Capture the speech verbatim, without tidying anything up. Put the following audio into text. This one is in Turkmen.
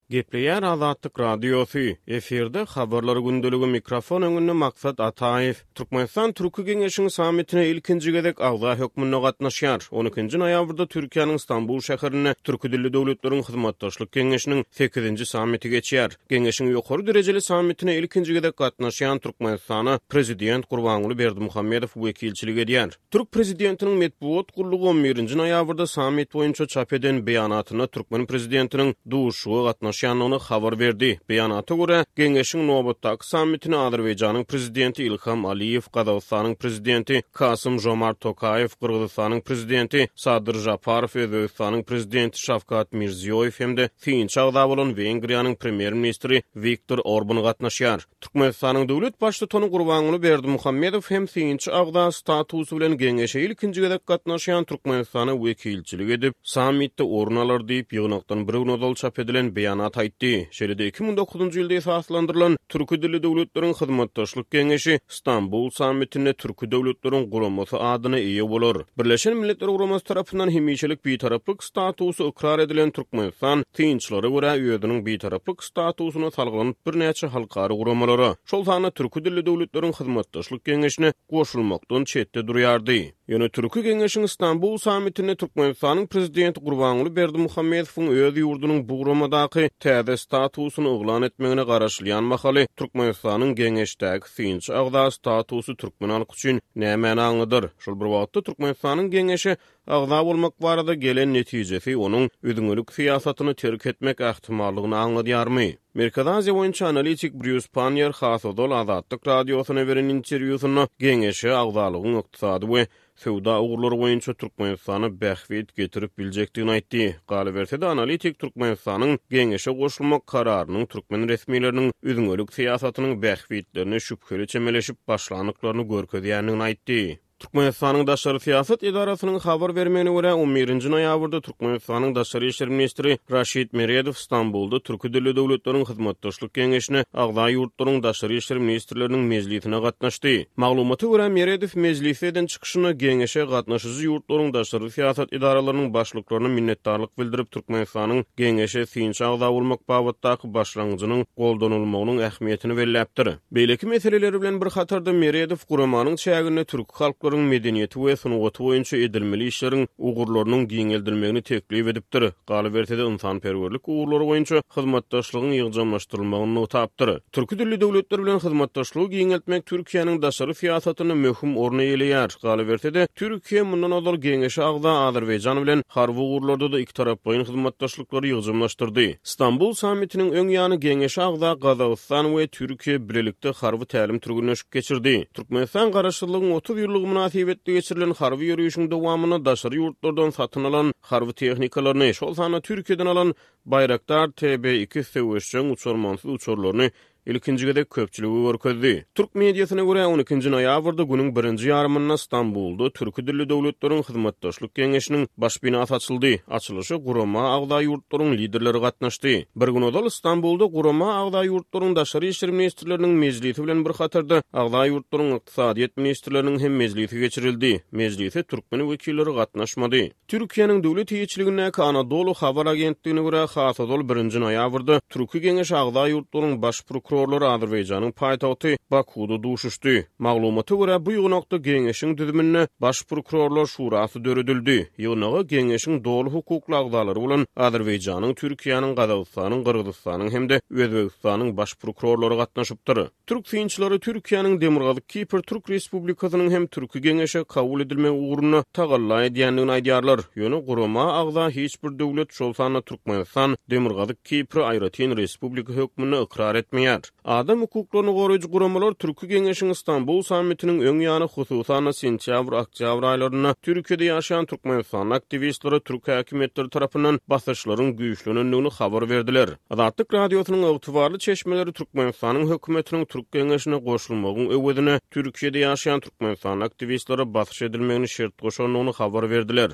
Gepleýär Azatlyk Radiosy, efirde Habarlar gündeligi, mikrofon öňünde Maksat Ataýew. Türkmenistan Türki Geňeşiň sammitine ilkinji gezek agza hökmünde gatnaşýar. On ikinji noýabrda Türkiýäniň Stambul şäherinde Türki dilli döwletleriň hyzmatdaşlyk geňeşiniň sekizinji sammiti geçýär. Geňeşiň ýokary derejeli sammitine ilkinji gezek gatnaşýan Türkmenistana prezident Gurbanguly Berdimuhamedow wekilçilik edýär. Türk prezidentiniň metbugat gullugy on birinji noýabrda sammit boýunça çap eden beýanatynda türkmen prezidentiniň duşuşyga gatnaşýandygyny habar berdi. Beýanata görä, Geňeşiň nobatdaky sammitine Azerbaýjanyň prezidenti Ilham Aliýew, Gazagystanyň prezidenti Kasym Žomart Tokaýew, Gyrgyzystanyň prezidenti Sadyr Žaparow, Özbegistanyň prezidenti Şawkat Mirziýoýew hem-de synçy agza bolan Wengriýanyň premýer-ministri Wiktor Orban gatnaşýar. Türkmenistanyň döwlet baştutany Gurbanguly Berdimuhamedow hem synçy agza statusy bilen Geňeşe ilkinji gezek gatnaşýan Türkmenistana wekilçilik edip, sammitde orun alar diýip, ýygnakdan bir gün ozal çap edilen beýanat aýtdy. Şeýle-de iki müň dokuzynjy ýylda esaslandyrylan Türki dilli döwletleriň hyzmatdaşlyk geňeşi Stambul sammitinde Türki döwletleriň guramasy adyna eýe bolar. Birleşen Milletler Guramasy tarapyndan hemişelik bitaraplyk statusy ykrar edilen Türkmenistan synçylara görä özüniň bitaraplyk statusyna salgylanyp birnäçe halkara guramalara, şol sanda Türki dilli döwletleriň hyzmatdaşlyk geňeşine goşulmakdan çetde durýardy. Ýöne Türki Geňeşiň Stambul sammitinde Türkmenistanyň prezidenti Gurbanguly Berdimuhamedowyň öz ýurdunyň bu guramadaky täze statusyny yglan etmegine garaşylýan mahaly Türkmenistanyň Geňeşdäki synçy agza statusy türkmen halky üçin nämäni aňladar? Şol bir wagtda Türkmenistanyň Geňeşe agza bolmak barada gelen netijesi onuň üzňelik syýasatyny terk etmek ähtimallygyny aňladýarmy? Merkezi Aziýa boýunça analitik Brýus Pannier has ozal Azatlyk Radiosyna beren interwýusynda Geňeşe agzalygyň ykdysady we söwda ugurlary boýunça Türkmenistana bähbit getirip biljekdigini aýtdy. Galyberse-de, analitik Türkmenistanyň Geňeşe goşulmak kararynyň türkmen resmileriniň üzňelik syýasatynyň bähbitlerine şübheli çemeleşip başlandyklaryny görkezýändigini aýtdy. Türkmenistanyň Daşary syýasat edarasynyň habar bermegine görä, on birinji noýabrda Türkmenistanyň Daşary işler ministri Raşid Meredow Stambulda Türki dilli döwletleriň hyzmatdaşlyk geňeşine agza ýurtlaryň daşary işler ministrleriniň mejlisine gatnaşdy. Maglumata görä, Meredow mejlisde eden çykyşynda geňeşe gatnaşyjy ýurtlaryň daşary syýasat edaralarynyň başlyklaryna minnetdarlyk bildirip, Türkmenistanyň geňeşe synçy agza bolmak babatdaky başlangyjynyň goldanylmagynyň ähmiýetini belläpdir. Beýleki meseleleri bilen bir hatarda Meredow guramanyň çäginde türki halklaryň medeniýeti we sungaty boýunça edilmeli işleriň ugurlarynyň giňeldilmegini teklip edipdir. Galyberse-de, ynsanperwerlik ugurlary boýunça hyzmatdaşlygyň ýygjamlaşdyrylmagyny nygtapdyr. Türki dilli döwletler bilen hyzmatdaşlygy giňeltmek Türkiýäniň daşary syýasatynda möhüm orun eýeleýär. Galyberse-de, Türkiýe mundan ozal Geňeşe agza Azerbaýjan bilen harby ugurlarda-da ikitaraplaýyn hyzmatdaşlyklary ýygjamlaşdyrdy. Stambul sammitiniň öň ýany Geňeşe agza Gazagystan we Türkiýe bilelikde harby tälim-türgenleşik geçirdi. Türkmenistan Garaşsyzlygyň otuz ýyllygy mynasybetli geçirilen harby ýörişiň dowamynda daşary ýurtlardan satyn alan harby tehnikalaryny, şol sanda Türkiýeden alan Baýraktar T B iki söweşjeň uçarmansyz uçarlaryny ilkinji gezek köpçülige görkezdi. Türk mediasyna görä, on ikinji noýabrda günüň birinji ýarymynda Stambulda Türki dilli döwletleriň hyzmatdaşlyk geňeşiniň baş binasy açyldy. Açylyşa gurama agza ýurtlaryň liderleri gatnaşdy. Bir gün ozal Stambulda gurama agza ýurtlaryň daşary işler ministrleriniň mejlisi bilen bir hatarda agza ýurtlaryň ykdysadyýet ministrleriniň hem mejlisi geçirildi. Mejlise türkmen wekilleri gatnaşmady. Türkiýäniň döwlet eýeçiligindäki Anadolu habar agentligine görä, has ozal birinji noýabrda Türki Geňeş agza ýurtlaryň baş prokurorlary Azerbaýjanyň paýtagty Bakuda duşuşdy. Maglumata görä, bu ýygnakda Geňeşiň düzüminde Baş prokurorlar şurasy döredildi. Ýygnaga Geňeşiň doly hukukly agzalary bolan Azerbaýjanyň, Türkiýäniň, Gazagystanyň, Gyrgyzystanyň hem-de Özbegistanyň baş prokurorlary gatnaşypdyr. Türk synçylary Türkiýäniň Demirgazyk Kipr Türk Respublikasynyň hem Türki Geňeşe kabul edilmegi ugrunda tagalla edýändigini aýdýarlar. Ýöne gurama agza hiç bir döwlet, şol sanda Türkmenistan, Demirgazyk Kipri aýratyn respublika hökmünde ykrar etmeýär. Adam hukuklaryny goraýjy guramalar Türki Geňeşiň Stambul sammitiniň öň ýany, hususan-da sentýabr-oktýabr aýlarynda Türkiýede ýaşaýan Türkmenistanly aktiwistlere türk häkimiýetleri tarapyndan basyşlaryň güýçlenendigini habar berdiler. Azatlyk Radiosynyň ygtybarly çeşmeleri Türkmenistanyň hökümetiniň Türk Geňeşine goşulmagyň öwezine Türkiýede ýaşaýan Türkmenistanly aktiwistlere basyş edilmegini şert goşandygyny habar berdiler.